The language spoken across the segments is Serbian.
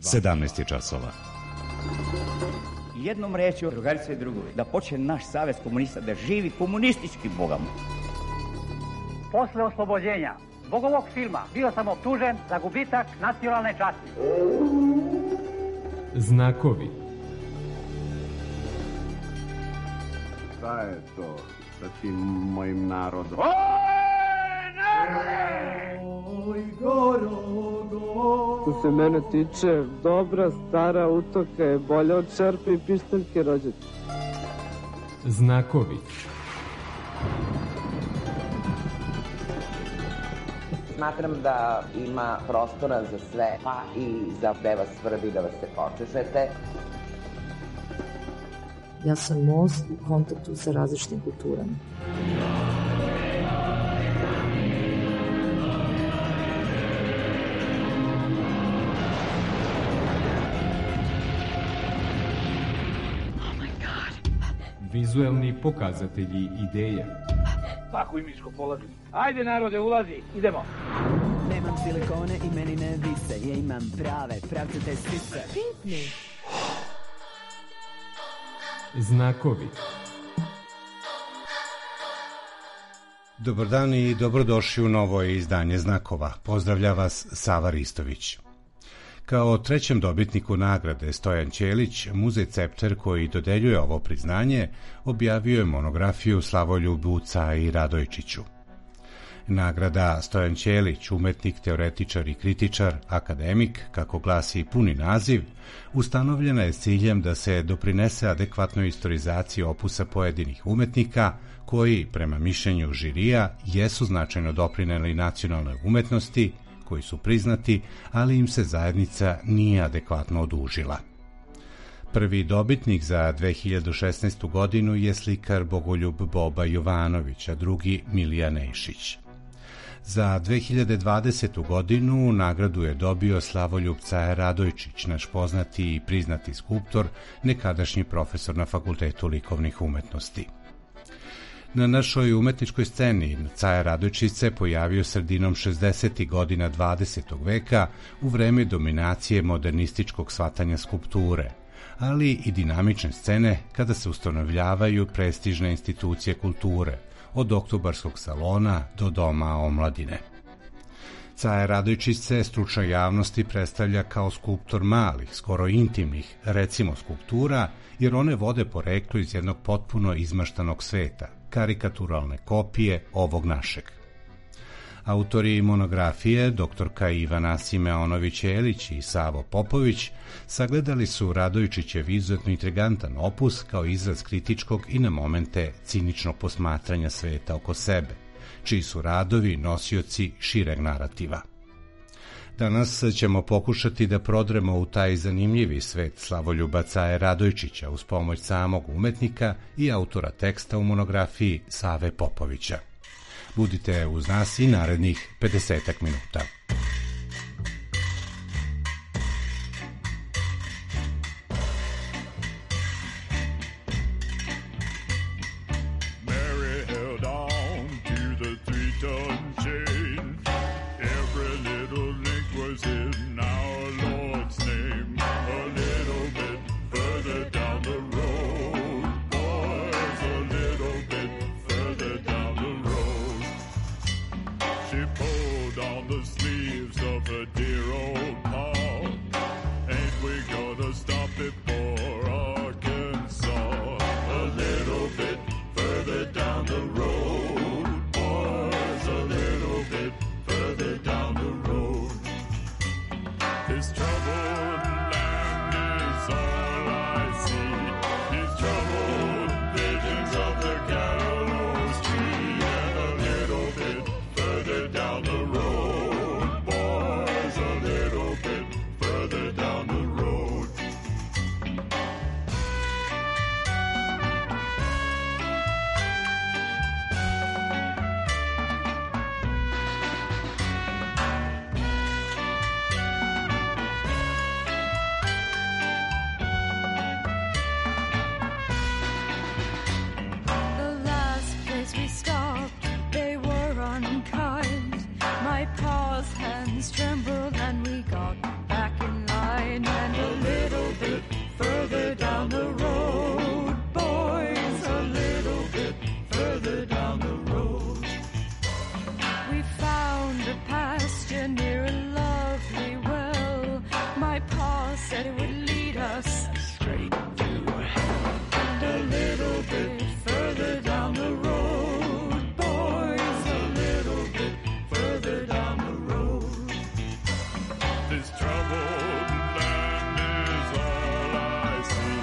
17 časova. Jednom rečju, drugarice i drugovi, da počne naš savez komunista da živi komunistički bogom. Posle oslobođenja zbog ovog filma bio sam optužen za gubitak nacionalne časti. Znakovi. Šta je to sa tim mojim narodom? Što se mene tiče, dobra stara utoka je bolja od šerpe i pištaljke rođaka. Znakovi. Smatram da ima prostora za sve, pa i za da vas svrbi, da vas se počešete. Ja sam most u kontaktu sa različitim kulturama. Vizuelni pokazatelji ideja. Svaku imičko polazim. Ajde narode, ulazi, idemo. Nemam silikone i meni ne vise. Ja imam prave, pravcate sise. Pipni. Znakovi. Dobar dan i dobrodošli u novo izdanje Znakova. Pozdravlja vas Sava Ristović. Kao trećem dobitniku nagrade Stojan Ćelić, Muzej Cepter koji dodeljuje ovo priznanje, objavio je monografiju Slavoljubu Caji Radojčiću. Nagrada Stojan Ćelić, umetnik, teoretičar i kritičar, akademik, kako glasi puni naziv, ustanovljena je s ciljem da se doprinese adekvatnoj istorizaciji opusa pojedinih umetnika koji, prema mišljenju žirija, jesu značajno doprineli nacionalnoj umetnosti, koji su priznati, ali im se zajednica nije adekvatno odužila. Prvi dobitnik za 2016. godinu je slikar Bogoljub Boba Jovanović, a drugi Milija Nešić. Za 2020. godinu nagradu je dobio Slavoljub Caja Radojčić, naš poznati i priznati skulptor, nekadašnji profesor na Fakultetu likovnih umetnosti. Na našoj umetničkoj sceni Caja Radojčić se pojavio sredinom 60. godina 20. veka u vreme dominacije modernističkog shvatanja skulpture, ali i dinamične scene kada se ustanovljavaju prestižne institucije kulture, od Oktobarskog salona do Doma omladine. Caja Radojčić se stručnoj javnosti predstavlja kao skulptor malih, skoro intimnih, recimo skulptura, jer one vode poreklo iz jednog potpuno izmaštanog sveta, karikaturalne kopije ovog našeg. Autori monografije, doktorka Ivana Simeonović-Elić i Savo Popović, sagledali su Radojčićev izuzetno intrigantan opus kao izraz kritičkog i na momente ciničnog posmatranja sveta oko sebe, čiji su radovi nosioci šireg narativa. Danas ćemo pokušati da prodremo u taj zanimljivi svet Slavoljuba Caje Radojčića uz pomoć samog umetnika i autora teksta u monografiji Save Popovića. Budite uz nas i narednih 50 minuta. She pulled on the sleeve. said it would lead us straight through. And a little bit further down the road, boys, a little bit further down the road. This troubled land is all I see.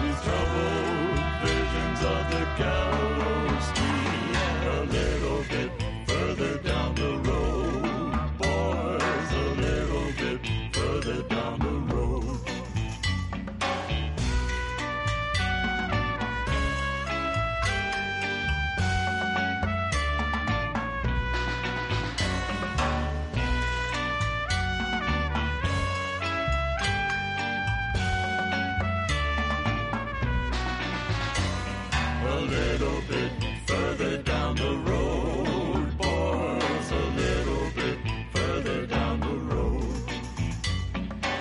These troubled visions of the gallows tree. A little bit further down the road, boys, a little bit further down the road. A little bit further down the road, boys, a little bit further down the road.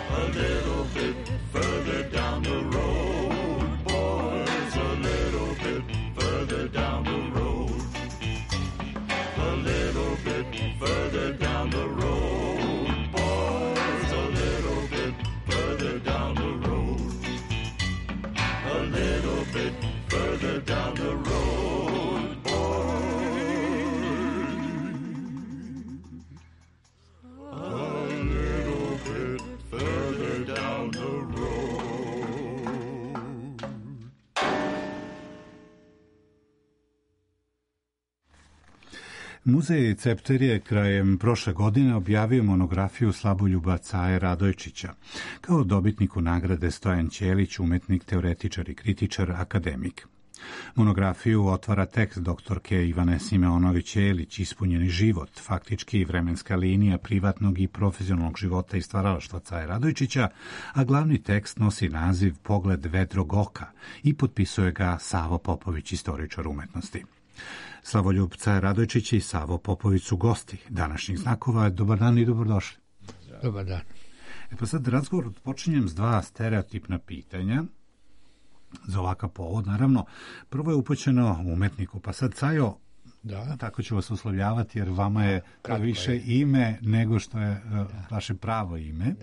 A little bit further down the road, boys, a little bit further down the road. A little bit further down the road, boys, a little bit further down the road. A little bit further down the road, boys. A little bit further down the road. Muzej Cepter je krajem prošle godine objavio monografiju Slavoljuba Caje Radojčića kao dobitniku nagrade Stojan Ćelić, umetnik, teoretičar i kritičar, akademik. Monografiju otvara tekst doktorke Ivane Simeonović-Ćelić, Ispunjeni život, faktički vremenska linija privatnog i profesionalnog života i stvaralaštva Caje Radojčića, a glavni tekst nosi naziv Pogled vedrog oka i potpisuje ga Savo Popović, istoričar umetnosti. Slavoljub Caje Radojčić i Savo Popović su gosti današnjih znakova. Dobar dan i dobrodošli. Dobar dan. Pa sad razgovor počinjem s dva stereotipna pitanja za ovakav povod. Naravno, prvo je upućeno umetniku, pa sad Cajo, tako ću vas uslovljavati jer vama je više ime nego što je vaše pravo ime.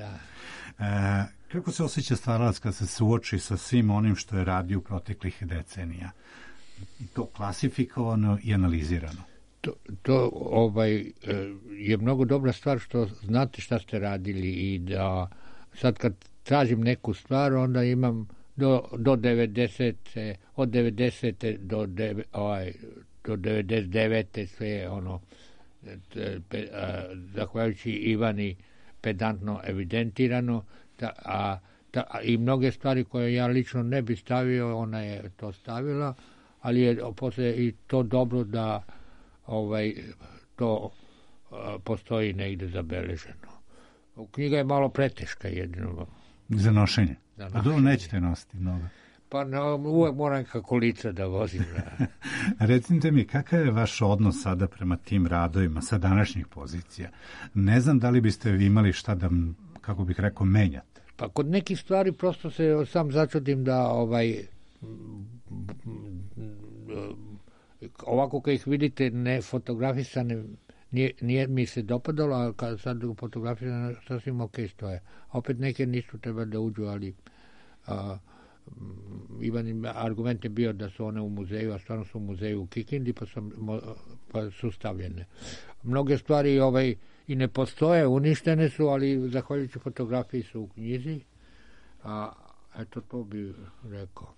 Kako se osjeća stvaralac kad se suoči sa svim onim što je radio u proteklih decenija? I to klasifikovano i analizirano. To je mnogo dobra stvar što znate šta ste radili i da sad kad tražim neku stvar onda imam do 90. od 90. do 99. sve ono zahvaljujući Ivani pedantno evidentirano i mnoge stvari koje ja lično ne bi stavio, ona je to stavila, ali je poslije i to dobro da to postoji negdje zabeleženo. Knjiga je malo preteška jedino. Za nošenje? Pa dobro, nećete nositi mnogo. Pa uvek moram kako lica da vozim. Recite mi, kakav je vaš odnos sada prema tim radovima sa današnjih pozicija? Ne znam da li biste imali šta da, kako bih rekao, menjate. Pa kod nekih stvari prosto se sam začudim da ovako kad ih vidite ne fotografisane, nije mi se dopadalo, a kad sad fotografisane sasvim ok stoje. A opet neke nisu treba da uđu, ali Ivan argument je bio da su one u muzeju, a stvarno su u muzeju u Kikindi, pa su stavljene. Mnoge stvari i ne postoje, uništene su, ali zahvaljujući fotografiji su u knjizi. Eto, to bi rekao.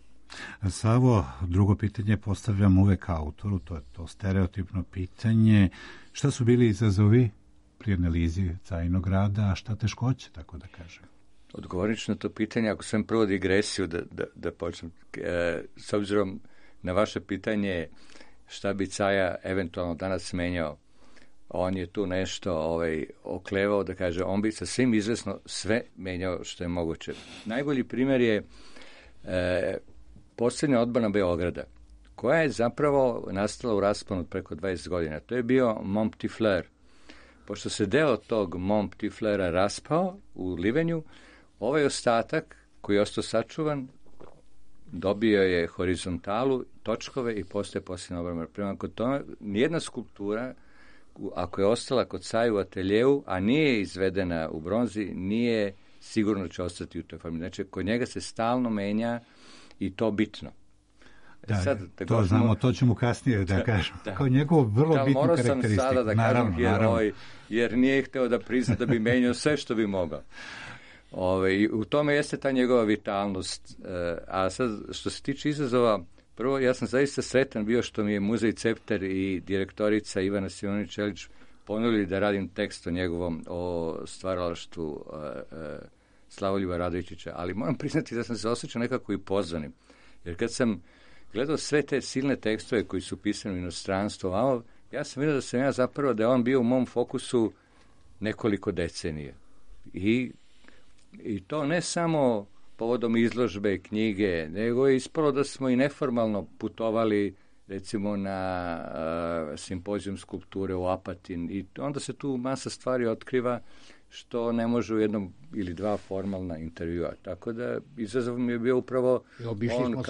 Savo, drugo pitanje postavljam uvek autoru, to je to stereotipno pitanje. Šta su bili izazovi pri analizi Cajinog rada, a šta teškoće, tako da kažem? Odgovorit ću na to pitanje, ako sam prvo digresiju da počnem. S obzirom na vaše pitanje šta bi Caja eventualno danas menjao, on je tu nešto oklevao da kaže, on bi sa svim izvesno sve menjao što je moguće. Najbolji primjer je posljednja odbrana Beograda, koja je zapravo nastala u rasponu preko 20 godina. To je bio Mont Petit Fleur. Pošto se deo tog Mont Petit Fleura raspao u Livenju, ovaj ostatak koji je ostao sačuvan dobio je horizontalu, točkove i postoje posljedna obrana. Prema kod tome, nijedna skulptura, ako je ostala kod Caje u ateljeu, a nije izvedena u bronzi, nije sigurno će ostati u toj formi. Znači, kod njega se stalno menja i to bitno. Da, sad, to znamo, to ćemo kasnije da kažem. Kao njegovo vrlo bitnu karakteristiku. Morao sam sada da kažem heroj, jer nije hteo da prizna da bi menjao sve što bi mogao. U tome jeste ta njegova vitalnost. A sad, što se tiče izazova, prvo, ja sam zaista sretan bio što mi je Muzej Cepter i direktorica Ivana Simonić-Čelić ponudili da radim tekst o njegovom, o stvaralaštvu Slavoljuba Radojičića, ali moram priznati da sam se osjećao nekako i pozvanim. Jer kad sam gledao sve te silne tekstove koji su pisani u inostranstvu, ja sam vidio da sam ja zapravo, da je on bio u mom fokusu nekoliko decenije. I to ne samo povodom izložbe, knjige, nego je ispalo da smo i neformalno putovali recimo na simpozijum skulpture u Apatin i onda se tu masa stvari otkriva što ne može u jednom ili dva formalna intervjua. Tako da izazov mi je bio upravo on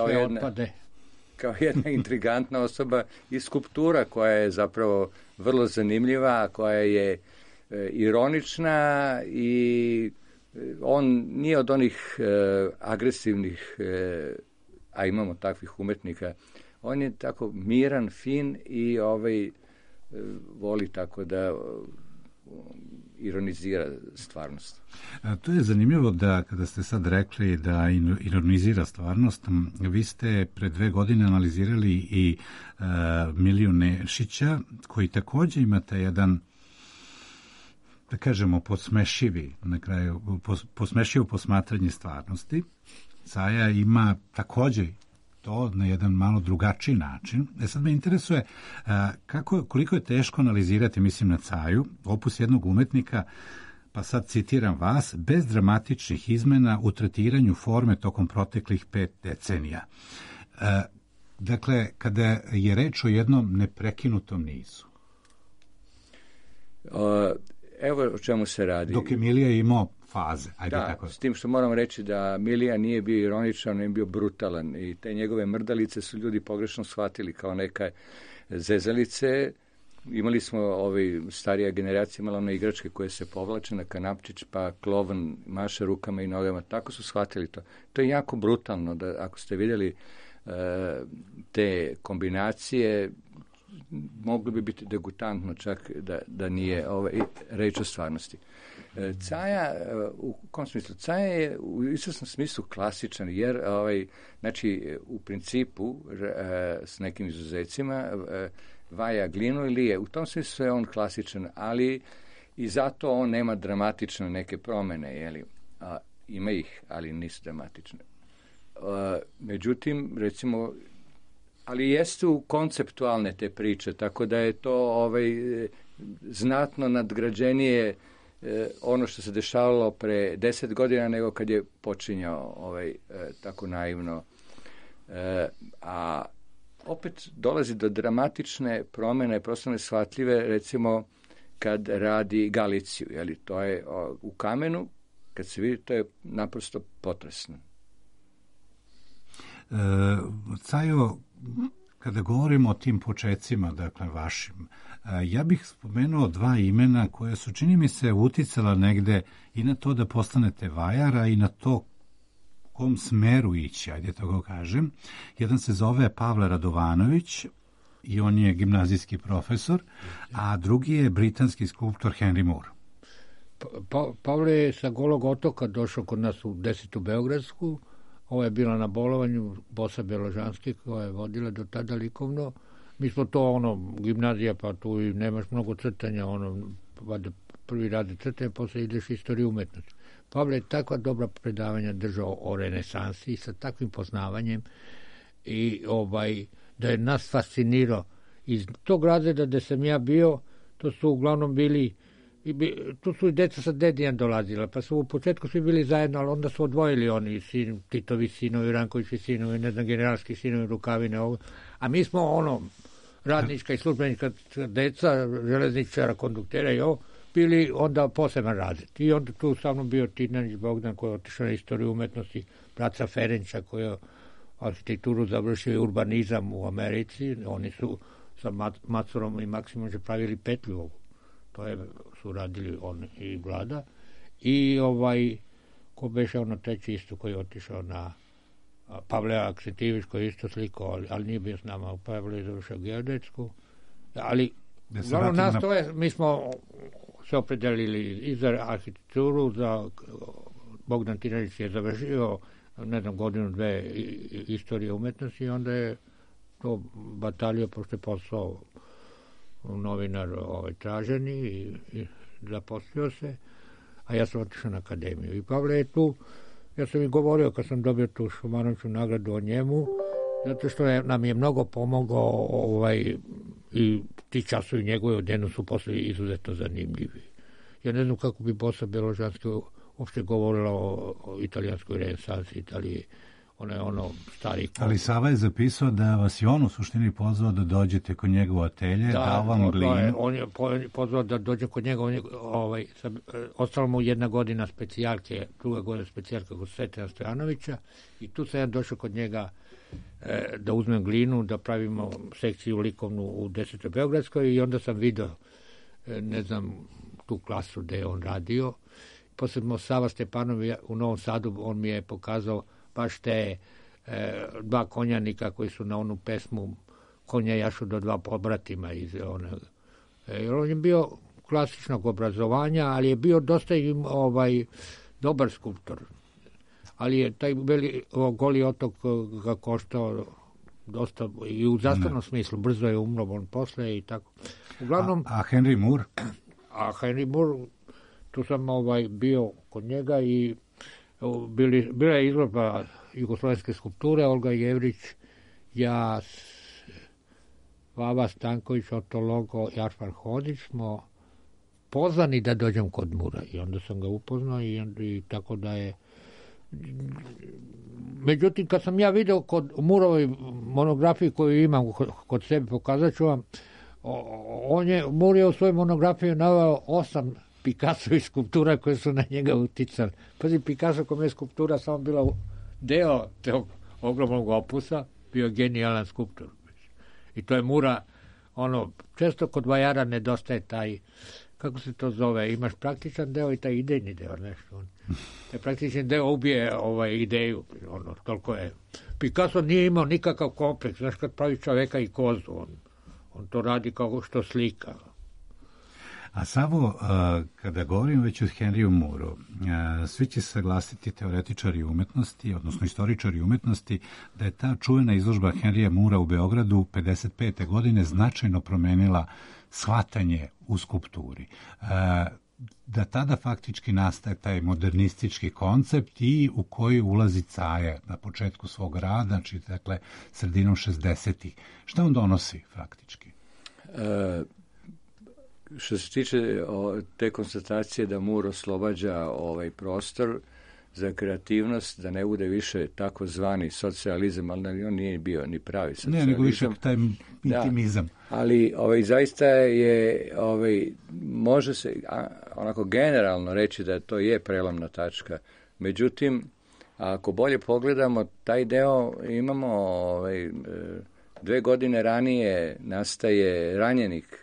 kao jedna intrigantna osoba i skulptura koja je zapravo vrlo zanimljiva, koja je ironična i on nije od onih agresivnih, a imamo takvih umetnika, on je tako miran, fin i voli tako da ironizira stvarnost. To je zanimljivo da kada ste sad rekli da ironizira stvarnost, vi ste pre 2 godine analizirali i Miliju Nešića, koji također imate jedan, da kažemo, podsmešivi, na kraju, podsmešivo posmatranje stvarnosti. Caja ima također to na jedan malo drugačiji način. Sad me interesuje koliko je teško analizirati, mislim na Caju, opus jednog umetnika, pa sad citiram vas, bez dramatičnih izmena u tretiranju forme tokom proteklih 5 decenija. Dakle, kada je reč o jednom neprekinutom nizu. Evo o čemu se radi. Dok je Milija imao faze. S tim što moram reći da Milija nije bio ironičan, nije bio brutalan i te njegove mrdalice su ljudi pogrešno shvatili kao neka zezalice. Imali smo, starija generacija imala one igračke koje se povlače na kanapčić, pa klovan maše rukama i nogama. Tako su shvatili to. To je jako brutalno, da ako ste vidjeli te kombinacije, moglo bi biti degutantno čak da nije reč o stvarnosti. Caja, u kom smislu? Caja je u izvesnom smislu klasičan, jer znači, u principu s nekim izuzecima vaja glinu i lije. U tom smislu je on klasičan, ali i zato on nema dramatične neke promjene, jeli? Ima ih, ali nisu dramatične. Međutim, recimo, ali jesu konceptualne te priče, tako da je to znatno nadgrađenije ono što se dešavalo pre 10 godina nego kad je počinjao tako naivno. A opet dolazi do dramatične promjene, prosto neshvatljive, recimo kad radi Galiciju, jeli, to je u kamenu, kad se vidi, to je naprosto potresno. Cajo, kada govorimo o tim počecima, dakle vašim, ja bih spomenuo 2 imena koje su, čini mi se, uticala negde i na to da postanete vajara i na to kom smeru ići, ajde to kažem. Jedan se zove Pavle Radovanović i on je gimnazijski profesor, a drugi je britanski skulptor Henry Moore. Pavle je sa Golog otoka došao kod nas u 10. Beogradsku. Ovo je bila na bolovanju Bosa Bjeložanski koja je vodila do tada likovno. Mi smo to gimnazija, pa tu i nemaš mnogo crtanja, prvi radi crtanje, posle ideš istoriju umetnosti. Pavle je takva dobra predavanja držao o renesansi sa takvim poznavanjem i da je nas fascinirao. Iz tog razreda gde sam ja bio, to su uglavnom bili, tu su i deca sa dedijan dolazila, pa su u početku svi bili zajedno, ali onda su odvojili oni Titovi sinovi, Rankovićevi sinovi, generalski sinovi, Rukavine, a mi smo radnička i službenička deca, železničara, konduktera i bili onda poseban razred. I onda tu sa mnom bio Tinanić Bogdan koji je otišao na istoriju umetnosti, braca Ferenča koji je arhitekturu završio i urbanizam u Americi. Oni su sa Macurom i Maksimom pravili petlju ovu. To su radili on i Vlada. I ko beše ono treći isto koji je otišao na Pavle Aksentijević koji je isto slikao, ali nije bio s nama, Pavle je završao geodetsku, ali uglavnom nas to je, mi smo se opredelili i za arhitekturu, za Bogdan Tiranić je završio, ne znam, godinu, dve istorije umetnosti i onda je to batalio, pošto je postao novinar traženi i zaposlio se, a ja sam otišao na akademiju. I Pavle je tu, ja sam i govorio kad sam dobio tu Šumanoviću nagradu o njemu, zato što nam je mnogo pomogao i ti časovi njegove odjenu su posle izuzetno zanimljivi. Ja ne znam kako bi Bosa Beložanski uopšte govorila o italijanskoj renesansi, Italiji, ono stari... Ali Sava je zapisao da vas je on u suštini pozvao da dođete kod njega u atelje, dao vam glinu. On je pozvao da dođe kod njega, ostalo mu 1 godina specijalke, 2 godina specijalke kod Svetana Stojanovića i tu sam ja došao kod njega da uzmem glinu, da pravimo sekciju likovnu u 10. Beogradskoj i onda sam vidio, ne znam, tu klasu gde je on radio. Posle Sava Stepanov u Novom Sadu, on mi je pokazao baš te 2 konjanika koji su na onu pesmu Konja jašu do 2 pobratima iz one. On je bio klasičnog obrazovanja, ali je bio dosta dobar skulptor. Ali je taj Goli otok ga koštao dosta i u zastavnom smislu. Brzo je umro on posle i tako. Uglavnom, a Henry Moore? A Henry Moore, tu sam bio kod njega i bila je izložba jugoslovenske skulpture, Olga Jevrić, ja, Vava Stanković, Oto Logo i Arfar Hodić smo pozvani da dođem kod Mura i onda sam ga upoznao i tako da je. Međutim, kad sam ja video kod Murovoj monografiji koju imam kod sebe, pokazat ću vam, Mur je u svojoj monografiji naveo 8 Picassovih skulptura koje su na njega uticali. Pazi, Picasso kom je skulptura samo bila deo tog ogromnog opusa, bio genijalan skulptor. I to je Mura, često kod vajara nedostaje taj, kako se to zove, imaš praktičan deo i taj idejni deo, nešto. Taj praktični deo ubije ideju, toliko je. Picasso nije imao nikakav kompleks, znaš, kad pravi čoveka i kozu, on to radi kao što slika. A Savo, kada govorim već o Henryu Mooreu, svi će se saglasiti teoretičari umetnosti, odnosno istoričari umetnosti, da je ta čuvena izložba Henrya Moorea u Beogradu 55. godine značajno promenila shvatanje u skulpturi. Da tada faktički nastaje taj modernistički koncept i u koji ulazi Caja na početku svog rada, znači dakle sredinom 60-ih. Šta on donosi faktički? Što se tiče te konstatacije da Moore oslobađa prostor za kreativnost, da ne bude više takozvani socijalizam, ali on nije bio ni pravi socijalizam. Ne, nego više taj intimizam. Da, ali zaista je, može se onako generalno reći da to je prelomna tačka. Međutim, ako bolje pogledamo, taj deo imamo 2 godine ranije nastaje Ranjenik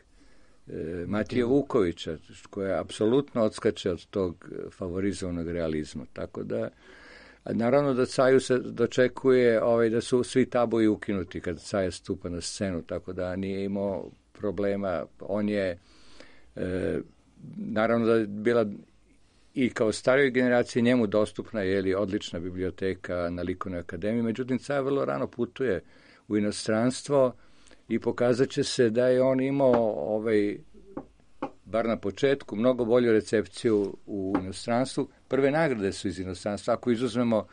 Matije Vukovića, koja apsolutno odskače od tog favorizovanog realizma. Tako da, naravno da Caju se dočekuje da su svi tabuji ukinuti kad Caja stupa na scenu, tako da nije imao problema. On je, naravno da je bila i kao starijoj generaciji njemu dostupna odlična biblioteka na Likovnoj akademiji, međutim Caja vrlo rano putuje u inostranstvo i pokazat će se da je on imao, bar na početku, mnogo bolju recepciju u inostranstvu. Prve nagrade su iz inostranstva. Ako izuzmemo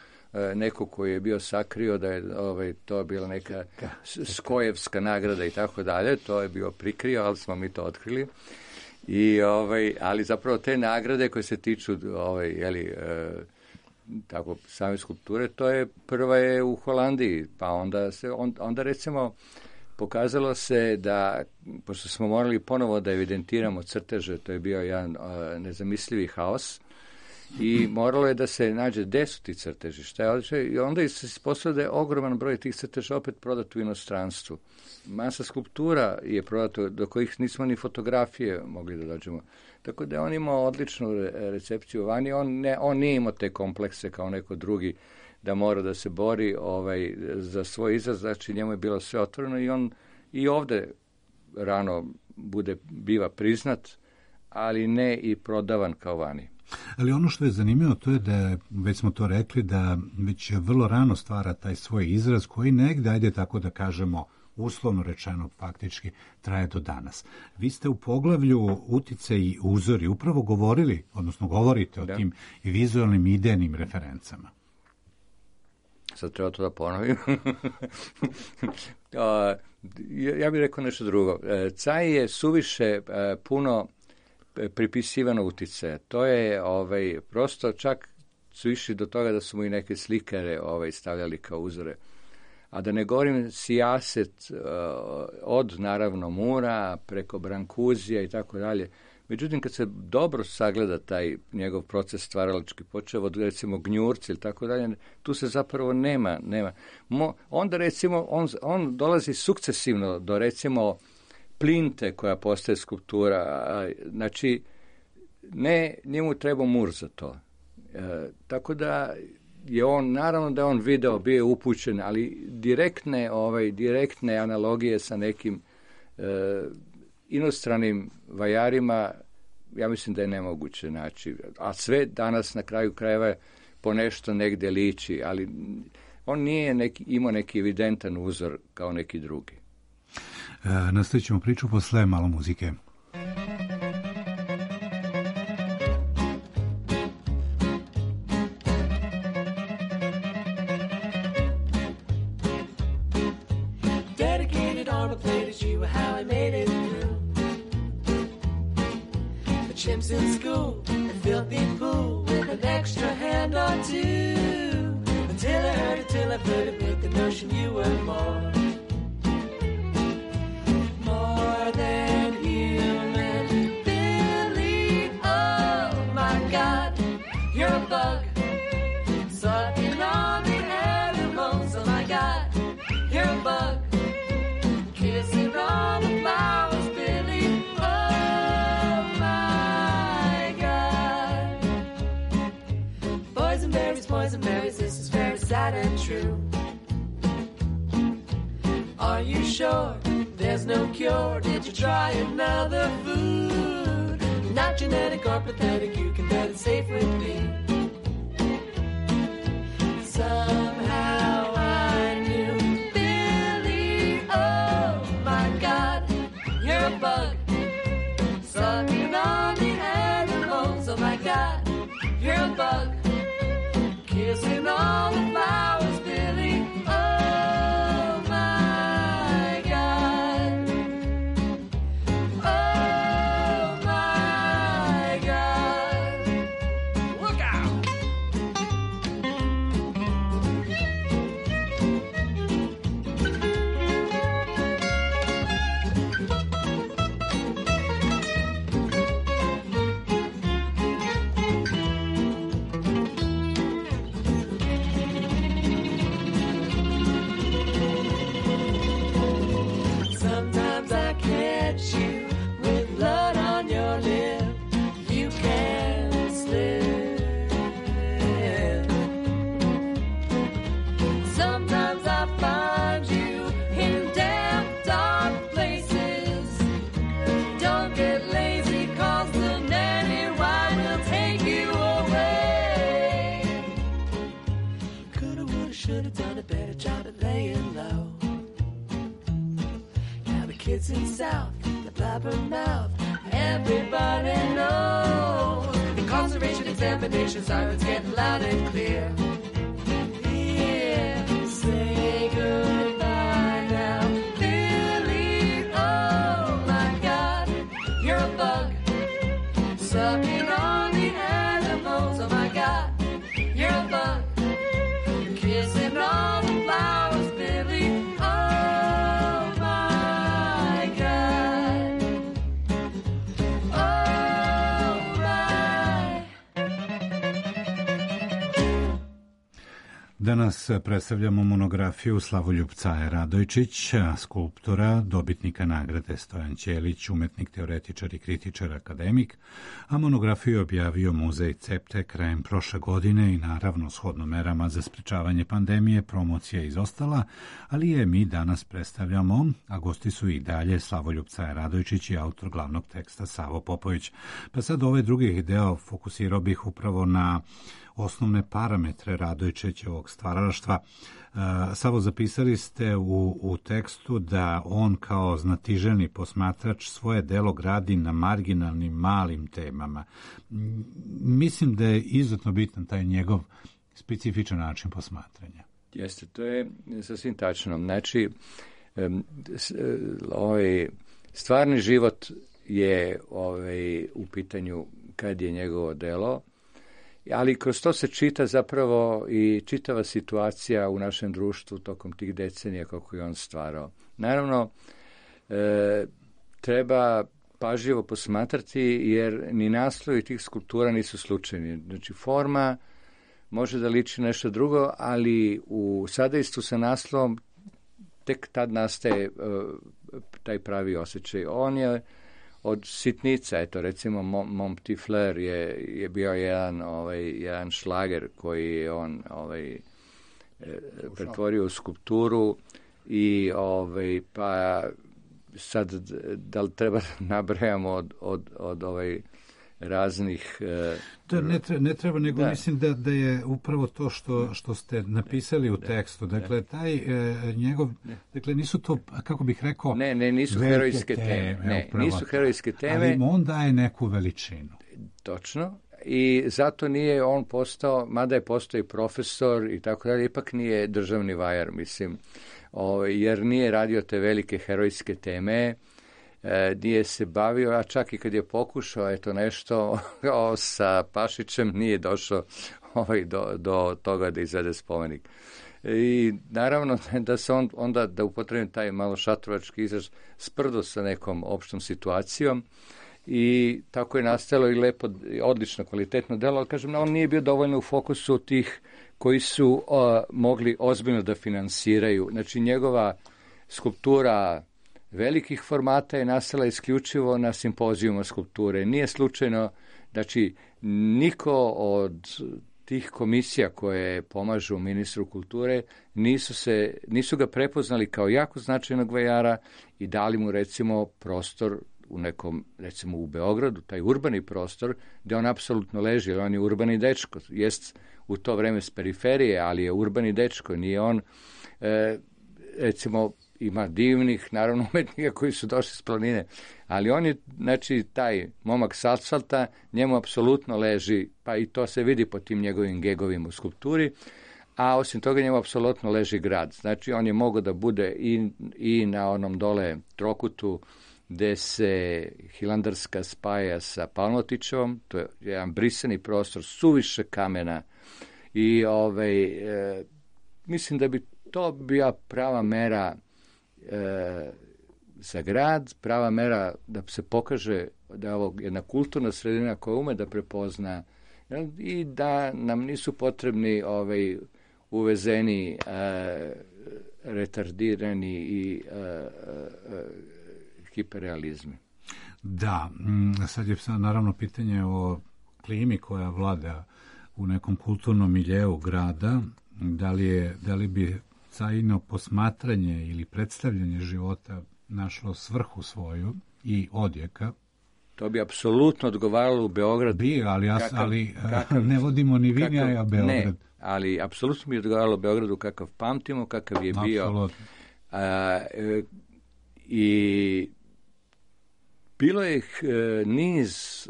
neko koji je bio sakrio da je to bila neka Skojevska nagrada i tako dalje, to je bio prikrio, ali smo mi to otkrili. Ali zapravo te nagrade koje se tiču tako same skulpture, prva je u Holandiji, pa onda recimo pokazalo se da, pošto smo morali ponovo da evidentiramo crteže, to je bio jedan nezamislivi haos, I moralo je da se nađe gde su ti crteži, šta je odlično, i onda se ispostavilo da je ogroman broj tih crteža opet prodat u inostranstvu. Masa skulptura je prodata, do kojih nismo ni fotografije mogli da dođemo. Tako da je on imao odličnu recepciju vani, on nije imao te komplekse kao neko drugi, da mora da se bori za svoj izraz, znači njemu je bilo sve otvoreno i on i ovde rano biva priznat, ali ne i prodavan kao vani. Ali ono što je zanimljivo to je da, već smo to rekli, da već vrlo rano stvara taj svoj izraz koji negde, ajde tako da kažemo, uslovno rečeno, faktički traje do danas. Vi ste u poglavlju Uticaj i uzori upravo govorili, odnosno govorite o tim vizualnim idejnim referencama. Sad treba to da ponovim. Ja bih rekao nešto drugo. Caj je suviše puno pripisivano uticaja. To je prosto čak su išli do toga da su mu i neke slikare stavljali kao uzore. A da ne govorim sijaset od naravno Mura preko Brankuzija i tako dalje. Međutim, kad se dobro sagleda taj njegov proces stvaralački, počeo od recimo Gnjurci ili tako dalje, tu se zapravo nema. Onda recimo on dolazi sukcesivno do recimo Plinte koja postaje skulptura. Znači, njemu treba Mur za to. Tako da je on, naravno da je on video, bio je upućen, ali direktne analogije sa nekim inostranim vajarima, ja mislim da je nemoguće naći. A sve danas na kraju krajeva po nešto negde liči, ali on nije imao neki evidentan uzor kao neki drugi. Nastavit ćemo priču posle malo muzike. Chimps in school, a filthy fool with an extra hand or two. Until I flirted with the notion you were more than human. Billy, oh my God, you're a bug, sucking on the animals. Oh my God, you're a bug, kissing on the flowers. Poison berries, this is very sad and true. Are you sure there's no cure? Did you try another food? Not genetic or pathetic, you can bet it's safe with me. Somehow I knew, Billy, oh my God, you're a bug, sucking on the animals. Oh my God, you're a bug, kissing all the flowers, Billy, oh my God, oh my God, look out! Kids in South, the blabbermouth, everybody knows. Incarceration examination sirens getting loud and clear. Here, say goodbye now, Billy. Oh my God, you're a bug, sucking on the animals. Oh my God, you're a bug, kissing all the flowers, Billy. Danas predstavljamo monografiju Slavoljupca Radojčića, skulptora, dobitnika nagrade Stojan Ćelić, umetnik, teoretičar i kritičar, akademik, a monografiju je objavio Muzej Cepte krajem prošle godine i naravno shodno merama za sprečavanje pandemije promocija izostala, ali je mi danas predstavljamo, a gosti su i dalje Slavoljupca Radojčić i autor glavnog teksta Savo Popović. Pa sad ovaj drugi deo fokusirao bih upravo na osnovne parametre Radojčićevog stvaralaštva. Savo, zapisali ste u tekstu da on kao znatiželjni posmatrač svoje delo gradi na marginalnim malim temama. Mislim da je izuzetno bitan taj njegov specifičan način posmatranja. Jeste, to je sasvim tačno. Znači, ovaj stvarni život je u pitanju kad je njegovo delo, ali kroz to se čita zapravo i čitava situacija u našem društvu tokom tih decenija kako je on stvarao. Naravno, treba pažljivo posmatrati jer ni naslovi tih skulptura nisu slučajni. Znači, forma može da liči nešto drugo, ali u sadejstvu sa naslovom tek tad nastaje taj pravi osjećaj. On je od sitnica, eto recimo Mon Petit Fleur je bio jedan šlager koji je on pretvorio u skulpturu i pa sad da li treba nabrajamo od raznih... Ne treba, nego mislim da je upravo to što ste napisali u tekstu. Dakle, taj njegov... Dakle, nisu to, kako bih rekao... nisu herojske teme. Nisu herojske teme. Ali on daje neku veličinu. Točno. I zato nije on postao, mada je postao i profesor i tako dalje, ipak nije državni vajar, mislim. Jer nije radio te velike herojske teme, nije se bavio, a čak i kad je pokušao nešto sa Pašićem, nije došao do toga da izvede spomenik. I naravno da se onda, da upotrebim taj malo šatrovački izraz, sprdo sa nekom opštom situacijom i tako je nastalo i lepo, odlično, kvalitetno delo, ali kažem, on nije bio dovoljno u fokusu tih koji su mogli ozbiljno da finansiraju. Znači, njegova skulptura velikih formata je nastala isključivo na simpozijuma skulpture. Nije slučajno, znači, niko od tih komisija koje pomažu ministru kulture nisu ga prepoznali kao jako značajnog vajara i dali mu recimo prostor u nekom, recimo u Beogradu, taj urbani prostor gde on apsolutno leži, jer on je urbani dečko. Jest u to vreme s periferije, ali je urbani dečko. Nije on, recimo, ima divnih, naravno, umetnika koji su došli s planine, ali on je, znači, taj momak s asfalta, njemu apsolutno leži, pa i to se vidi po tim njegovim gegovima u skulpturi, a osim toga njemu apsolutno leži grad. Znači, on je mogao da bude i na onom dole trokutu gde se Hilandarska spaja sa Palmotićevom, to je jedan brisani prostor, suviše kamena i mislim da bi to bila prava mera za grad, prava mera da se pokaže da je ovo jedna kulturna sredina koja ume da prepozna i da nam nisu potrebni uvezeni retardirani i hiperrealizmi. Da, sad je naravno pitanje o klimi koja vlada u nekom kulturnom miljeu grada, da li bi cajno posmatranje ili predstavljanje života našlo svrhu svoju i odjeka. To bi apsolutno odgovaralo u Beograd. Ali ne vodimo ni vi ni ja Beograd. Ne, ali apsolutno bi odgovaralo Beogradu kakav pamtimo, kakav je bio. I bilo je niz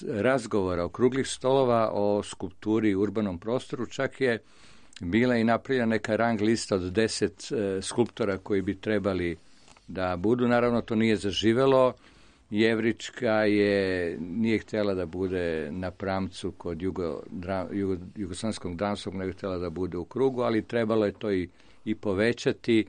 razgovora, okruglih stolova o skulpturi i urbanom prostoru, čak je bila i napravljena neka rang lista od 10 skulptora koji bi trebali da budu. Naravno, to nije zaživelo. Jevrička nije htjela da bude na Pramcu kod Jugoslavskog dramskog, nego htjela da bude u krugu, ali trebalo je to i povećati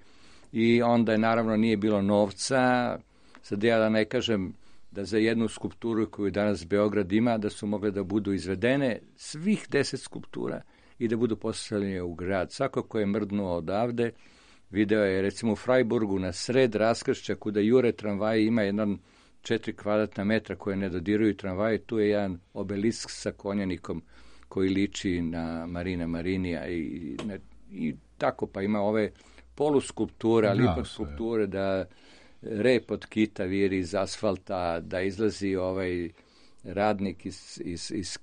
i onda je naravno nije bilo novca. Sad ja da ne kažem da za jednu skulpturu koju danas Beograd ima, da su mogle da budu izvedene svih 10 skulptura i da budu postavljeni u grad. Svako ko je mrdnuo odavde, video je recimo u Freiburgu na sred raskršća kuda jure tramvaji, ima jedan 4 kvadratna metra koje ne dodiruju tramvaji, tu je jedan obelisk sa konjanikom koji liči na Marina Marinija i tako, pa ima ove poluskulpture, ali ipak skulpture da rep od kita viri iz asfalta, da izlazi ovaj radnik iz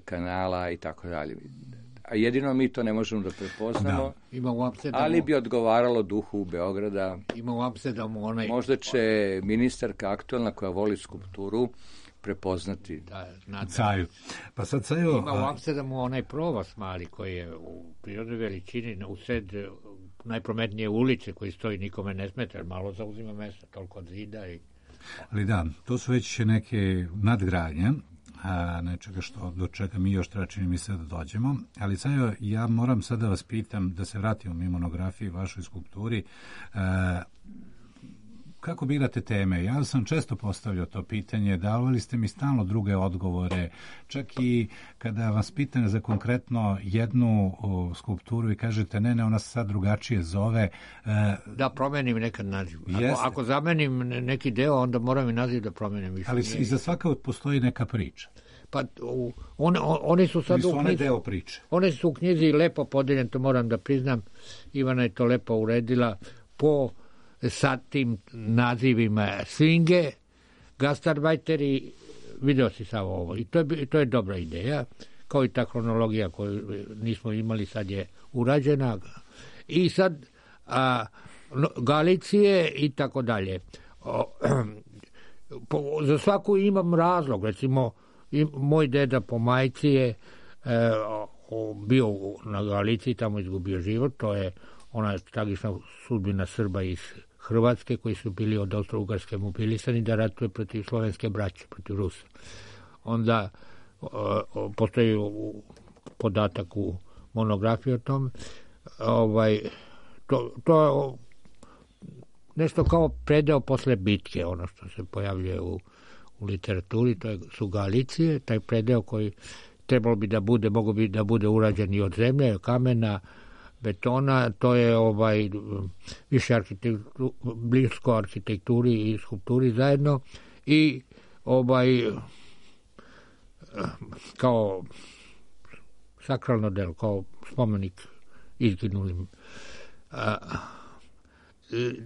kanala i tako dalje. A jedino mi to ne možemo da prepoznamo, ali bi odgovaralo duhu Beograda. Ima u Amsterdamu onaj... Možda će ministarka aktualna koja voli skulpturu prepoznati. Caju. Pa sad Caju... Ima u Amsterdamu onaj provas mali koji je u prirodnoj veličini u sred najprometnije ulice koji stoji, nikome ne smeta, jer malo zauzima mesta, toliko od zida i... Ali da, to su već neke nadgradnje, nečega do čega mi još treba, čini mi se, da dođemo. Ali Cajo, ja moram sad da vas pitam, da se vratimo mi monografiji, vašoj skulpturi, kako birate teme? Ja sam često postavljao to pitanje, davali ste mi stalno druge odgovore, čak i kada vas pitam za konkretno jednu skulpturu i kažete ne, ona se sad drugačije zove. Da, promenim nekad naziv. Ako zamenim neki deo, onda moram i naziv da promenim. Ali iza svaka postoji neka priča. Pa one su sad u knjizi. Deo priče. One su u knjizi lepo podeljene, to moram da priznam. Ivana je to lepo uredila po sa tim nazivima Svinge, Gastarbajteri, video si samo ovo. I to je dobra ideja, kao i ta kronologija koju nismo imali, sad je urađena. I sad Galicije i tako dalje. Za svaku imam razlog. Recimo, moj deda po majci je bio na Galiciji, tamo izgubio život. To je ona tragična sudbina Srba iz Hrvatske koji su bili od Austro-Ugarske mobilisani da ratuje protiv slovenske braće, protiv Rusa. Onda postoji podatak u monografiji o tome. To je nešto kao predeo posle bitke, ono što se pojavljuje u literaturi, to su Galicije, taj predeo koji trebalo bi da bude, mogo bi da bude urađen i od zemlje, kamena, betona, to je više blisko arhitekturi i skulpturi zajedno i kao sakralno delo, kao spomenik izginulim.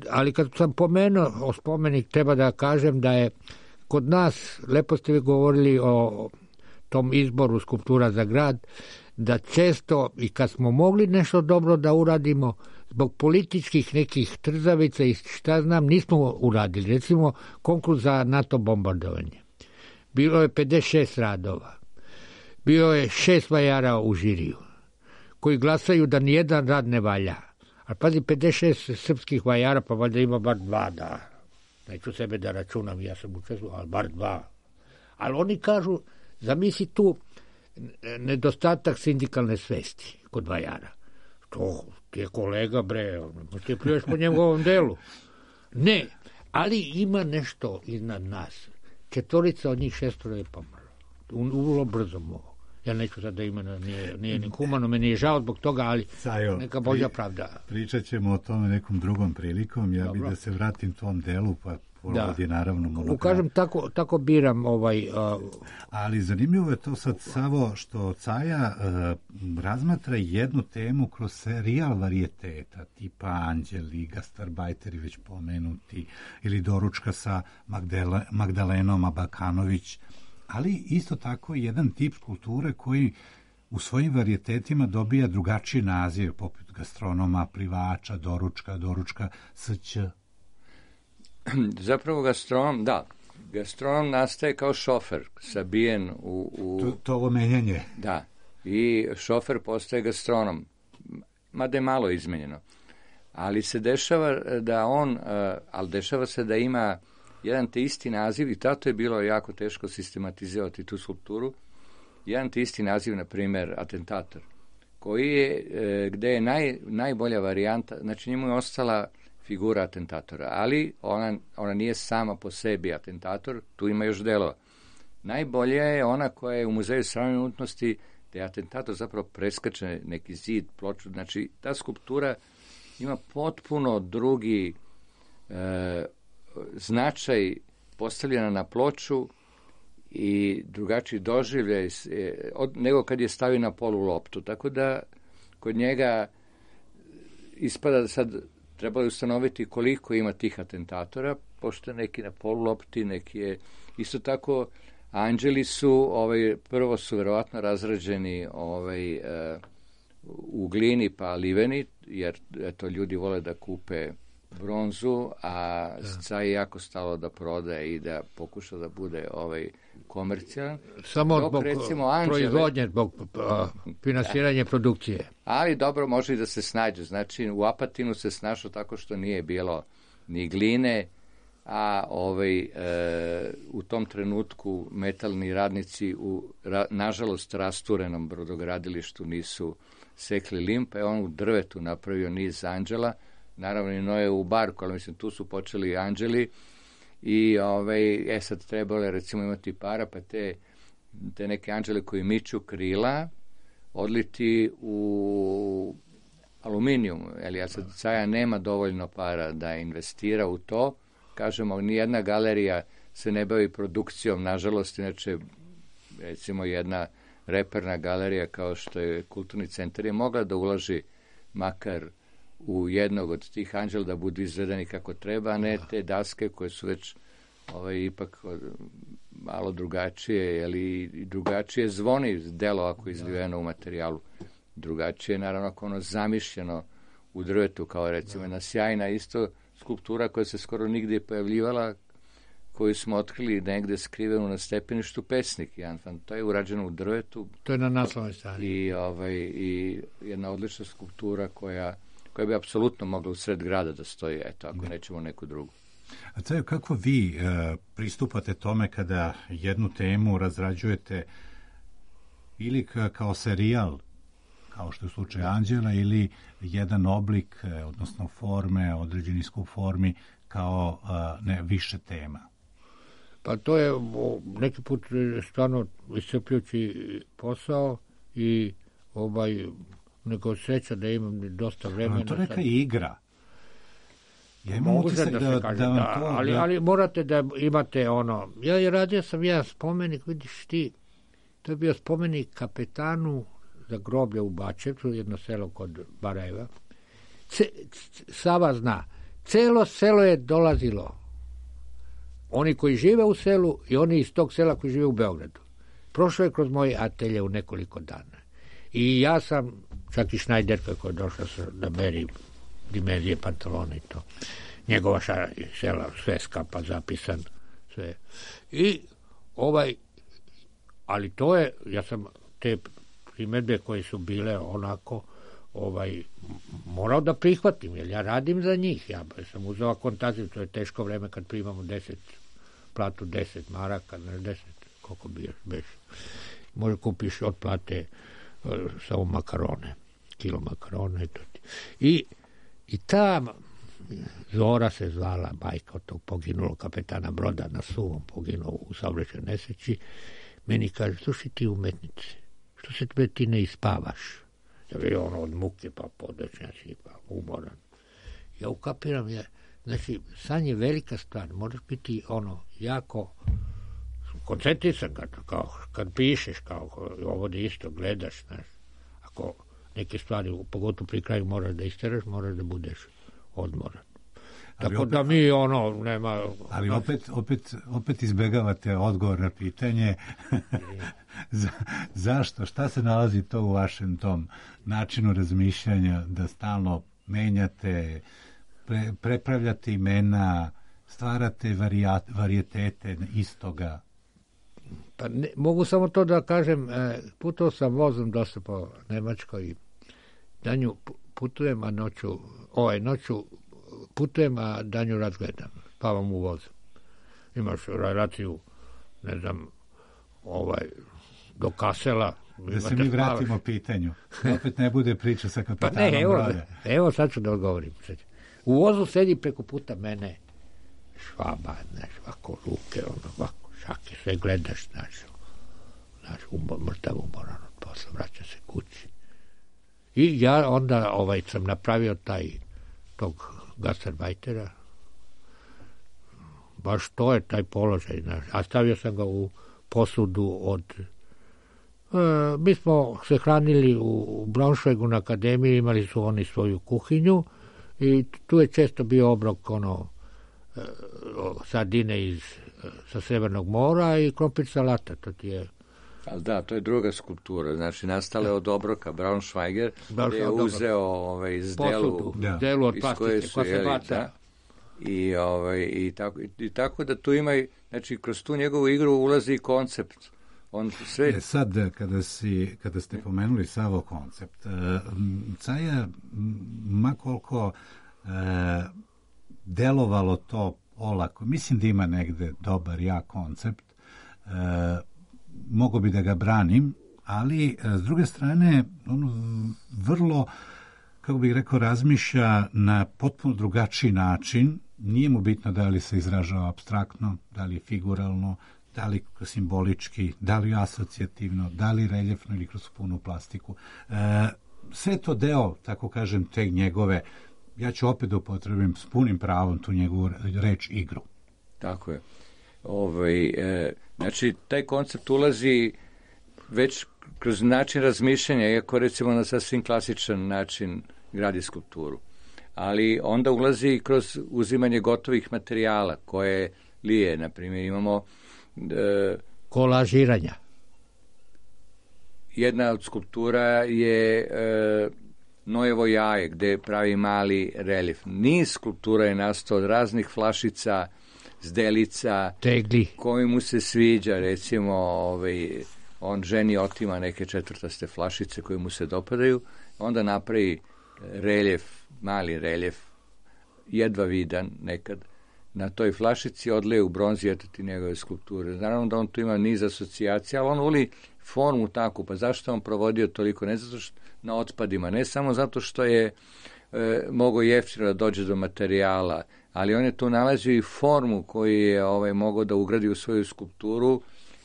Ali kad sam pomenuo o spomenik, treba da kažem da je kod nas, lepo ste vi govorili o tom izboru skulptura za grad, da često i kad smo mogli nešto dobro da uradimo, zbog političkih nekih trzavica i šta znam, nismo uradili. Recimo, konkurs za NATO bombardovanje. Bilo je 56 radova. Bilo je 6 vajara u žiriju, koji glasaju da nijedan rad ne valja. Ali pazi, 56 srpskih vajara, pa valjda ima bar 2, da. Neću sebe da računam, ja sam učestvovao, ali bar 2. Ali oni kažu, zamisli tu nedostatak sindikalne svesti kod vajara. To ti je kolega, bre, ti pljuješ po njegovom delu. Ne, ali ima nešto iznad nas. 4 od njih 6 je pomrlo. Vrlo brzo mogu. Ja neću sad da imena, nije ni humano, meni je žao zbog toga, ali neka Božja pravda. Pričat ćemo o tome nekom drugom prilikom, ja bih da se vratim tom delu, pa ovdje naravno monografija. Kažem, tako biram Ali zanimljivo je to sad, Savo, što Caja razmatra jednu temu kroz serijal varijeteta, tipa Anđeli, Gastarbajteri već pomenuti, ili Doručka sa Magdalenom Abakanović, ali isto tako jedan tip kulture koji u svojim varijetetima dobija drugačiji naziv, poput gastronoma, plivača, doručka, sć. Zapravo gastronom nastaje kao šofer, sabijen u... To ovo menjanje. Da, i šofer postaje gastronom, mada je malo izmenjeno. Ali se dešava dešava se da ima jedan te isti naziv, i tato je bilo jako teško sistematizirati tu skulpturu, jedan te isti naziv, na primjer, atentator, koji je, gde je najbolja varijanta, znači njemu je ostala figura atentatora, ali ona nije sama po sebi atentator, tu ima još delova. Najbolja je ona koja je u Muzeju savremene umjetnosti, te atentator zapravo preskače neki zid, ploču. Znači, ta skulptura ima potpuno drugi značaj postavljena na ploču i drugačiji doživljaj nego kad je stavio na polu loptu. Tako da kod njega ispada da sad trebalo ustanoviti koliko ima tih atentatora, pošto neki na polu lopti, neki je isto tako. Anđeli su, prvo su verovatno razrađeni u glini pa liveni, jer eto, ljudi vole da kupe bronzu, a Caji je jako stalo da prodaje i da pokuša da bude komercijalan. Samo zbog proizvodnje, zbog finansiranja produkcije. Ali dobro, može i da se snađe. Znači, u Apatinu se snašao tako što nije bilo ni gline, a u tom trenutku metalni radnici u nažalost rasturenom brodogradilištu nisu sekli lim, pa je on u drvetu napravio niz anđela, naravno i Noe u barku, ali mislim tu su počeli anđeli i sad trebalo je recimo imati para, pa te neke anđele koji miču krila odliti u aluminijum, ali ja sad Caja nema dovoljno para da investira u to. Kažemo, nijedna galerija se ne bavi produkcijom, nažalost, inače, recimo, jedna reperna galerija kao što je Kulturni centar je mogla da ulaži makar u jednog od tih anđela da budu izvedeni kako treba, a ne te daske koje su već ipak malo drugačije, ali drugačije zvoni delo ako je izliveno u materijalu. Drugačije, naravno, ako ono zamišljeno u drvetu, kao recimo jedna sjajna isto skulptura koja se skoro nigdje pojavljivala, koju smo otkrili negde skrivenu na stepeništu Pesnik. To je urađeno u drvetu. To je na naslovnoj strani. I jedna odlična skulptura koja bi apsolutno mogla u sred grada da stoji, eto, ako nećemo neku drugu. A Cajo, kako vi pristupate tome kada jednu temu razrađujete ili kao serijal, kao što je slučaj Anđela, ili jedan oblik, odnosno forme, određeni skup formi, kao više tema? Pa to je neki put stvarno iscrpljujući posao i nego sreća da imam dosta vremena. To neka igra. Ja imam Može utisak da se kaže, ali morate da imate ono. Radio sam jedan spomenik, vidiš ti, to je bio spomenik kapetanu za groblje u Bačevcu, jedno selo kod Barajeva. Sava zna, celo selo je dolazilo. Oni koji žive u selu i oni iz tog sela koji žive u Beogradu. Prošlo je kroz moje atelje u nekoliko dana. I ja sam, čak i Šnajderka koja je došla da meri dimenzije pantalona i to. Njegova sela, sve skapa zapisan, sve. I ali to je, ja sam te primedbe koje su bile onako morao da prihvatim, jer ja radim za njih. Ja sam uzeo akontaciju, to je teško vreme kad primamo platu 10 maraka, 10, koliko bi još beš. Može kupiš od plate samo makarone, kilo makarone. I ta Zora se zvala, majka od tog poginulog kapetana broda na Suvom, poginuo u saobraćajnoj nesreći, meni kaže, slušaj ti umetnice, što se ti ne ispavaš? Da je ono od muke, pa podečnjaci, pa umoran. Ja ukapiram, znači, san je velika stvar, moraš biti jako koncentrisan kao kad pišeš, kao ovo da isto gledaš, znaš. Ako neke stvari, pogotovo pri kraju moraš da isteraš, moraš da budeš odmoran. Tako da mi nema... Ali opet izbegavate odgovor na pitanje zašto, šta se nalazi to u vašem tom načinu razmišljanja da stalno menjate, prepravljate imena, stvarate varijetete istoga? Pa mogu samo to da kažem, putovao sam vozom dosta po Nemačkoj i danju putujem, a noću putujem, a danju razgledam, spavam u vozu. Imaš relaciju, ne znam, do Kasela. Da se mi vratimo pitanju. Opet ne bude priča sa kapetanom broda. Evo sad ću da odgovorim. U vozu sedi preko puta mene Švaba, znaš, ovako ruke, ovako šake, sve gledaš, znaš, mrtav umoran od posla. posle vraća se kući. I ja onda sam napravio tog gastarbajtera. Baš to je taj položaj. A stavio sam ga u posudu od... mi smo se hranili u Braunschweigu na akademiji, imali su oni svoju kuhinju i tu je često bio obrok sardine sa Severnog mora i krompir salata. To ti je... Ali da, to je druga skulptura. Znači, nastale od obroka Braunschweiger, gdje je uzeo iz delu od plastike, koja se baca. I tako da tu ima, znači, kroz tu njegovu igru ulazi i koncept. On sve... Sad, kada ste pomenuli Savo koncept, Caja, makoliko delovalo to olako, mislim da ima negde dobar, jak koncept, mogo bi da ga branim, ali s druge strane on vrlo, kako bih rekao, razmišlja na potpuno drugačiji način. Nije mu bitno da li se izražava apstraktno, da li figuralno, da li simbolički, da li asocijativno, da li reljefno ili kroz punu plastiku. Sve to deo, tako kažem, te njegove, ja ću opet da upotrebim s punim pravom tu njegovu reč igru. Tako je. Znači, taj koncept ulazi već kroz način razmišljanja, iako recimo na sasvim klasičan način gradi skulpturu. Ali onda ulazi i kroz uzimanje gotovih materijala koje lije. Na primjer, imamo kolažiranja. Jedna od skulptura je Nojevo jaje, gde pravi mali reljef. Niz skulptura je nastao od raznih flašica, zdelica, tegli, koji mu se sviđa. Recimo, on ženi otima neke četvrtaste flašice koje mu se dopadaju, onda napravi reljef, mali reljef, jedva vidan nekad, na toj flašici, odleje u bronzi, eto ti njegove skulpture. Naravno da on tu ima niz asocijacija, ali on voli formu takvu. Pa zašto on provodio toliko? Ne zato što na otpadima, ne samo zato što je mogao jeftino da dođe do materijala, ali on je tu nalazio i formu koju je mogao da ugradi u svoju skulpturu,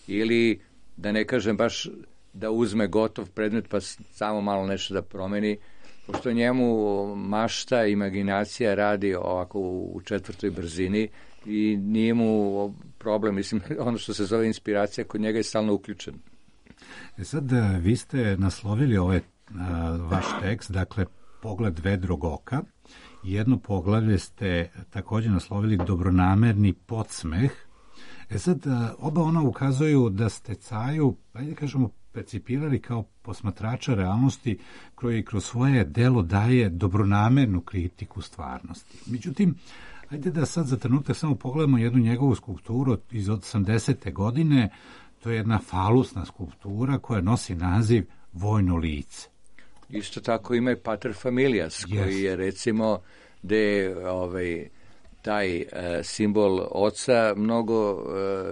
ili da ne kažem baš da uzme gotov predmet pa samo malo nešto da promeni, pošto njemu mašta, imaginacija radi ovako u četvrtoj brzini i nije mu problem, mislim, ono što se zove inspiracija kod njega je stalno uključen. Sad, vi ste naslovili ovaj vaš tekst, dakle, Pogled vedrog oka. Jedno poglavlje ste također naslovili Dobronamerni podsmeh. Sad, oba ona ukazuju da ste Caju, ajde kažemo, percipirali kao posmatrača realnosti koji kroz svoje delo daje dobronamernu kritiku stvarnosti. Međutim, ajde da sad za trenutak samo pogledamo jednu njegovu skulpturu iz 80. godine. To je jedna falusna skulptura koja nosi naziv Vojno lice. Isto tako ima i Pater Familias, koji je recimo gde taj simbol oca mnogo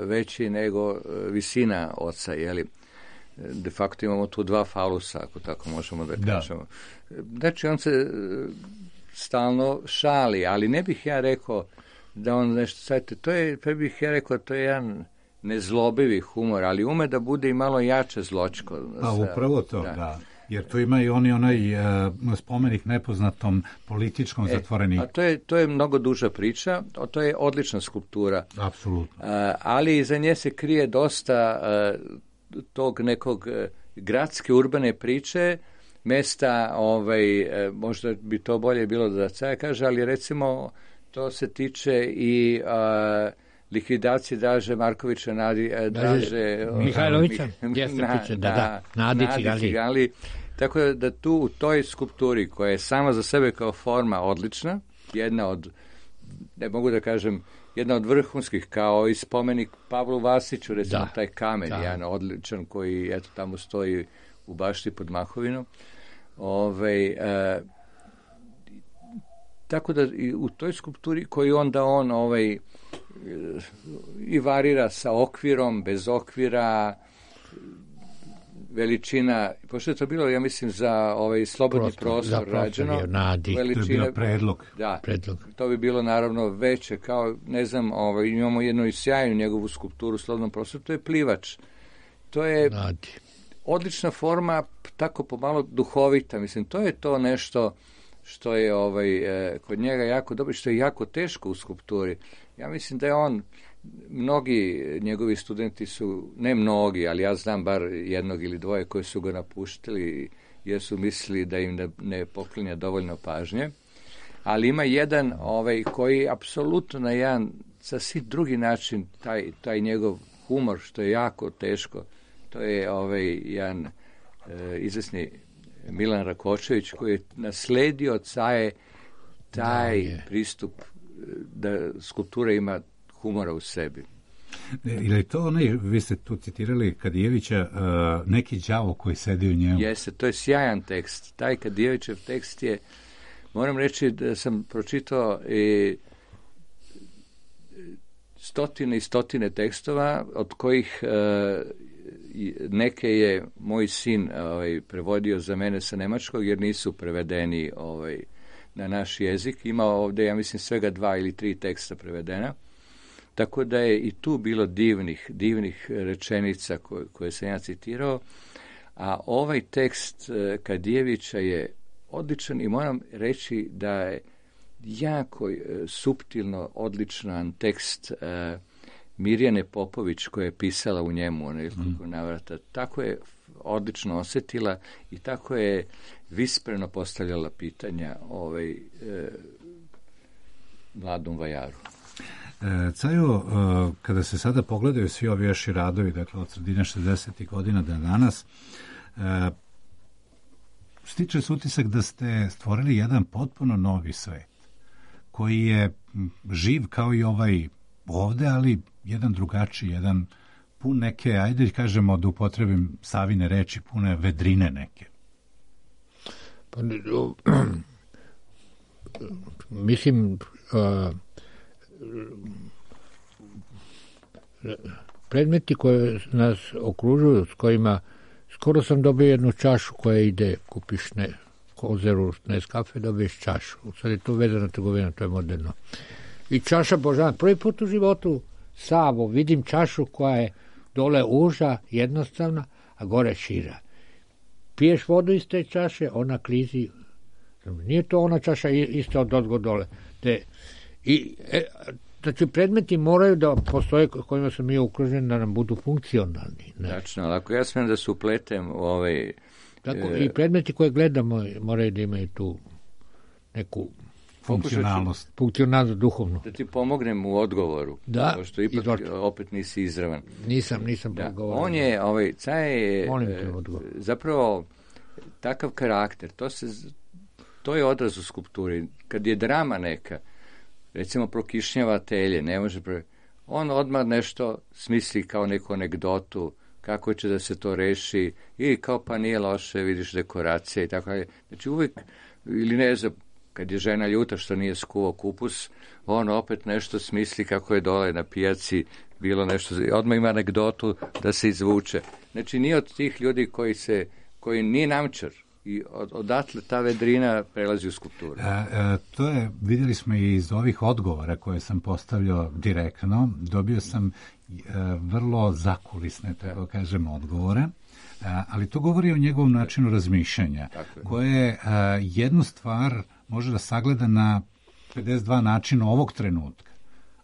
veći nego visina oca, jeli? De facto imamo tu dva falusa, ako tako možemo da kažemo. Znači, on se stalno šali, ali ne bih ja rekao da on nešto, sajte, pa bih ja rekao, to je jedan nezlobivi humor, ali ume da bude i malo jače zločko. Pa upravo to, da. Jer tu ima i onaj spomenik nepoznatom političkom zatvoreniku. A to je mnogo duža priča, to je odlična skulptura. Apsolutno. Ali iza nje se krije dosta tog nekog gradske urbane priče, mesta, možda bi to bolje bilo da Caja kaže, ali recimo to se tiče i likvidacije Draže Markovića, Draže Mihajlovića, Nadi Ciganlije. Tako da tu u toj skulpturi, koja je sama za sebe kao forma odlična, jedna od, ne mogu da kažem, jedna od vrhunskih, kao i spomenik Pavlu Vasiću, recimo taj kamen, jedan odličan koji eto tamo stoji u bašti pod Mahovinom. Tako da i u toj skulpturi koju onda on i varira sa okvirom, bez okvira, veličina, pošto je to bilo, ja mislim, za slobodni prostor rađeno. To je bio predlog. Da, to bi bilo naravno veće, kao, ne znam, imamo jednu i sjajnu njegovu skulpturu u slobodnom prostoru, to je plivač. To je odlična forma, tako pomalo duhovita. Mislim, to je to nešto što je kod njega jako dobro, što je jako teško u skulpturi. Ja mislim da je on, mnogi njegovi studenti su, ne mnogi, ali ja znam bar jednog ili dvoje koji su ga napuštili jer su mislili da im ne poklinja dovoljno pažnje. Ali ima jedan koji apsolutno na jedan sasvim drugi način taj njegov humor, što je jako teško. To je jedan izvesni Milan Rakočević koji je nasledio od Caje taj pristup da skulptura ima humora u sebi. Ili to onaj, vi ste tu citirali Kadijevića, neki đavo koji sedi u njemu? Jeste, to je sjajan tekst. Taj Kadijevićev tekst je, moram reći da sam pročitao stotine i stotine tekstova, od kojih neke je moj sin prevodio za mene sa nemačkog, jer nisu prevedeni na naš jezik. Ima ovdje, ja mislim, svega 2 ili 3 teksta prevedena. Tako da je i tu bilo divnih rečenica koje sam ja citirao. A ovaj tekst Kadijevića je odličan i moram reći da je jako suptilno odličan tekst Mirjane Popović koja je pisala u njemu nekoliko navrata. Tako je odlično osjetila i tako je vispreno postavljala pitanja mladom vajaru. Cajo, kada se sada pogledaju svi ovi vaši radovi, dakle od sredine 60. godina do danas, stiče se utisak da ste stvorili jedan potpuno novi svet, koji je živ kao i ovaj ovde, ali jedan drugačiji, jedan pun neke, ajde kažemo da upotrebim Savine reči, pune vedrine neke. Pa, mislim, predmeti koje nas okružuju, s kojima skoro sam dobio jednu čašu koja ide, kupiš kozeru, Nescafe, dobiješ čašu. Sad je to vezana trgovina, to je moderno. I čaša Božana. Prvi put u životu Savo vidim čašu koja je dole uža, jednostavna, a gore šira. Piješ vodu iz te čaše, ona klizi. Nije to ona čaša ista od ozgo dole. Znači, predmeti moraju da postoje kojima smo mi okruženi da nam budu funkcionalni. Tačno, ali ako ja smijem da se upletem u Tako, i predmeti koje gledamo moraju da imaju tu neku funkcionalnost duhovnu. Da ti pomognem u odgovoru. Da, pošto ipak opet nisi izravan. Nisam odgovorio. On je, Caje je zapravo takav karakter. To je odraz u skulpturi. Kad je drama neka, recimo prokišnjava telje, ne može on odmah nešto smisli kao neku anegdotu, kako će da se to reši, i kao pa nije loše, vidiš dekoracije i tako. Znači uvijek, ili ne znam, kad je žena ljuta što nije skuvao kupus, on opet nešto smisli kako je dole na pijaci bilo nešto, odmah ima anegdotu da se izvuče. Znači nije od tih ljudi koji nije namčar, i odatle ta vedrina prelazi u skulpturu. To je, vidjeli smo i iz ovih odgovora koje sam postavljao direktno, dobio sam vrlo zakulisne, tako kažem, odgovore, ali to govori o njegovom načinu razmišljanja, koje jednu stvar može da sagleda na 52 načina ovog trenutka,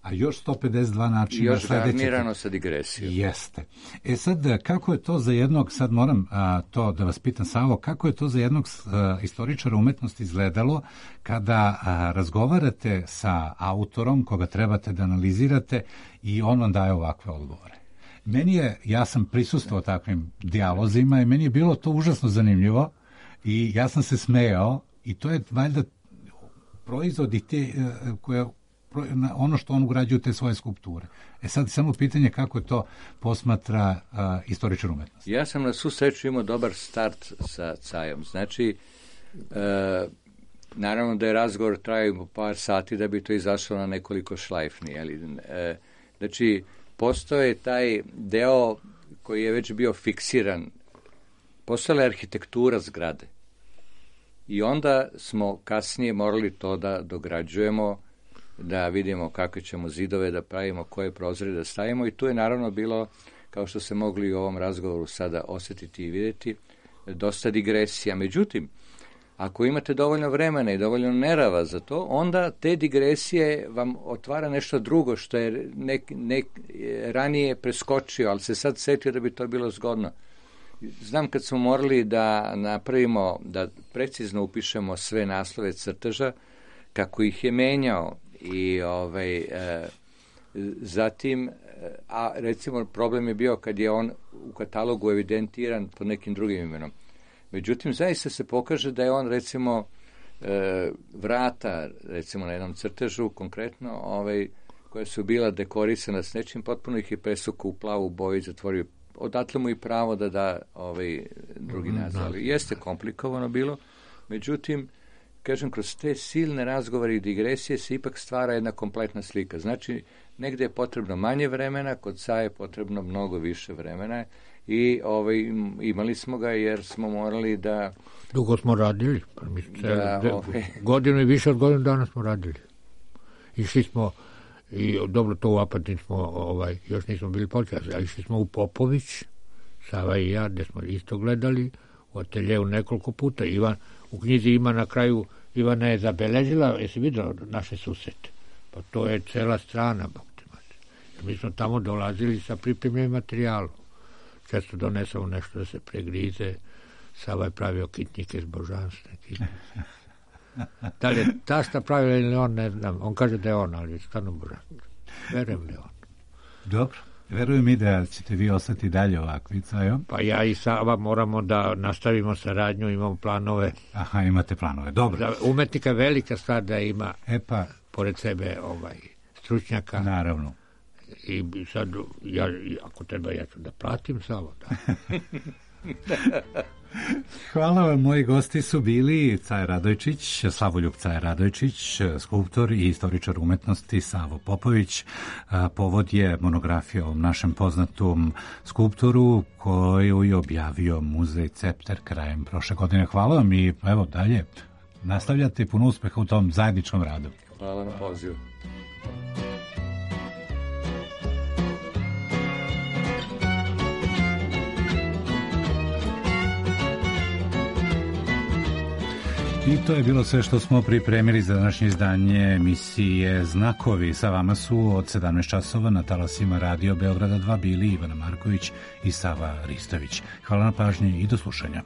a još 152 načina još garnirano sa digresijom. Jeste. Sad, kako je to za jednog, sad moram to da vas pitam, Savo, kako je to za jednog istoričara umetnosti izgledalo kada razgovarate sa autorom koga trebate da analizirate i on vam daje ovakve odgovore? Ja sam prisustvovao takvim dijalozima i meni je bilo to užasno zanimljivo i ja sam se smejao i to je valjda proizvod i te koje ono što on ugrađuje u te svoje skulpture. Sad samo pitanje kako je to posmatra istoričar umetnosti. Ja sam na svu sreću imao dobar start sa Cajom. Znači, naravno da je razgovor trajao par sati da bi to izašlo na nekoliko šlajfni. Znači, postoje taj deo koji je već bio fiksiran. Postojala je arhitektura zgrade. I onda smo kasnije morali to da dograđujemo, da vidimo kakve ćemo zidove da pravimo, koje prozore da stavimo, i tu je naravno bilo kao što se mogli u ovom razgovoru sada osjetiti i vidjeti, dosta digresija. Međutim, ako imate dovoljno vremena i dovoljno nerava za to, onda te digresije vam otvara nešto drugo što je ranije preskočio, ali se sad setio da bi to bilo zgodno. Znam kad smo morali da napravimo, da precizno upišemo sve naslove crteža, kako ih je menjao i zatim, a recimo problem je bio kad je on u katalogu evidentiran pod nekim drugim imenom. Međutim, zaista se pokaže da je on, recimo, vrata, recimo na jednom crtežu, konkretno, koja su bila dekorisana s nečim, potpuno ih je presukao u plavu boju i zatvorio. Odatle mu i pravo da da drugi naziv. Ali jeste komplikovano bilo, međutim, kažem, kroz te silne razgovore i digresije se ipak stvara jedna kompletna slika. Znači, negde je potrebno manje vremena, kod Saje je potrebno mnogo više vremena i imali smo ga jer smo morali da... Dugo smo radili, godinu i više od godinu dana smo radili. Išli smo, i dobro, to u Apatin smo, još nismo bili počeli, ali išli smo u Popović, Sava i ja, gde smo isto gledali, u ateljevu nekoliko puta. U knjizi ima na kraju, Ivana je zabeležila, jesi vidio naše susete? Pa to je cela strana. Mi smo tamo dolazili sa pripremljenim materijalom. Često donesemo nešto da se pregrize. Sava je pravio kitnike s božanstva. Da li je tašta pravila ili on, ne znam. On kaže da je on, ali je stvarno božanstvo. Verujem li on. Dobro. Verujem i da ćete vi ostati dalje ovakvi, Cajo. Pa ja i Sava moramo da nastavimo saradnju, imamo planove. Aha, imate planove, dobro. Za umetnika je velika stvar da ima pored sebe stručnjaka. Naravno. I sad, ako treba, ja ću da platim Savo. Da. Hvala vam, moji gosti su bili Caja Radojčić, Slavoljub Caja Radojčić, skulptor i istoričar umetnosti Savo Popović. Povod je monografija o našem poznatom skulptoru koju je objavio Muzej Cepter krajem prošle godine. Hvala vam i evo dalje nastavljate, puno uspeha u tom zajedničkom radu. Hvala na pozivu. I to je bilo sve što smo pripremili za današnje izdanje emisije Znakovi. Sa vama su od 17 časova na talasima Radio Beograda 2 bili Ivana Marković i Sava Ristović. Hvala na pažnji i do slušanja.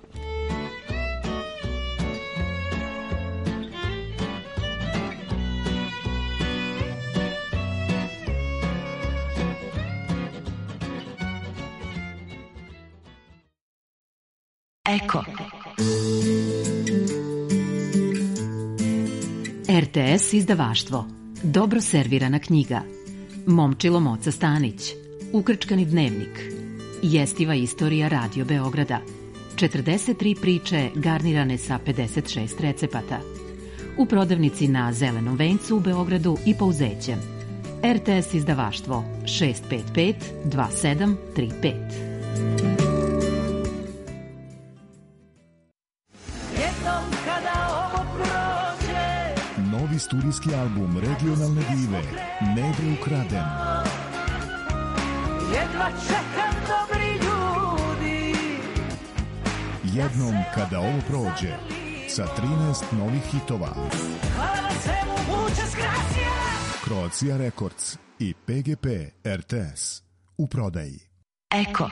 Eko. RTS izdavaštvo. Dobro servirana knjiga. Momčilo Moca Stanić. Ukrčkani dnevnik. Jestiva istorija Radio Beograda. 43 priče garnirane sa 56 recepata. U prodavnici na Zelenom vencu u Beogradu i Pouzećem. RTS izdavaštvo 655 2735. Novi studijski album regionalne dive Nebre ukraden. Jedva čekam, dobri ljudi. Jednom kada ovo prođe, sa 13 novih hitova. Hvala svemu, muchas gracias. Croatia Records i PGP RTS u prodaji. Eko.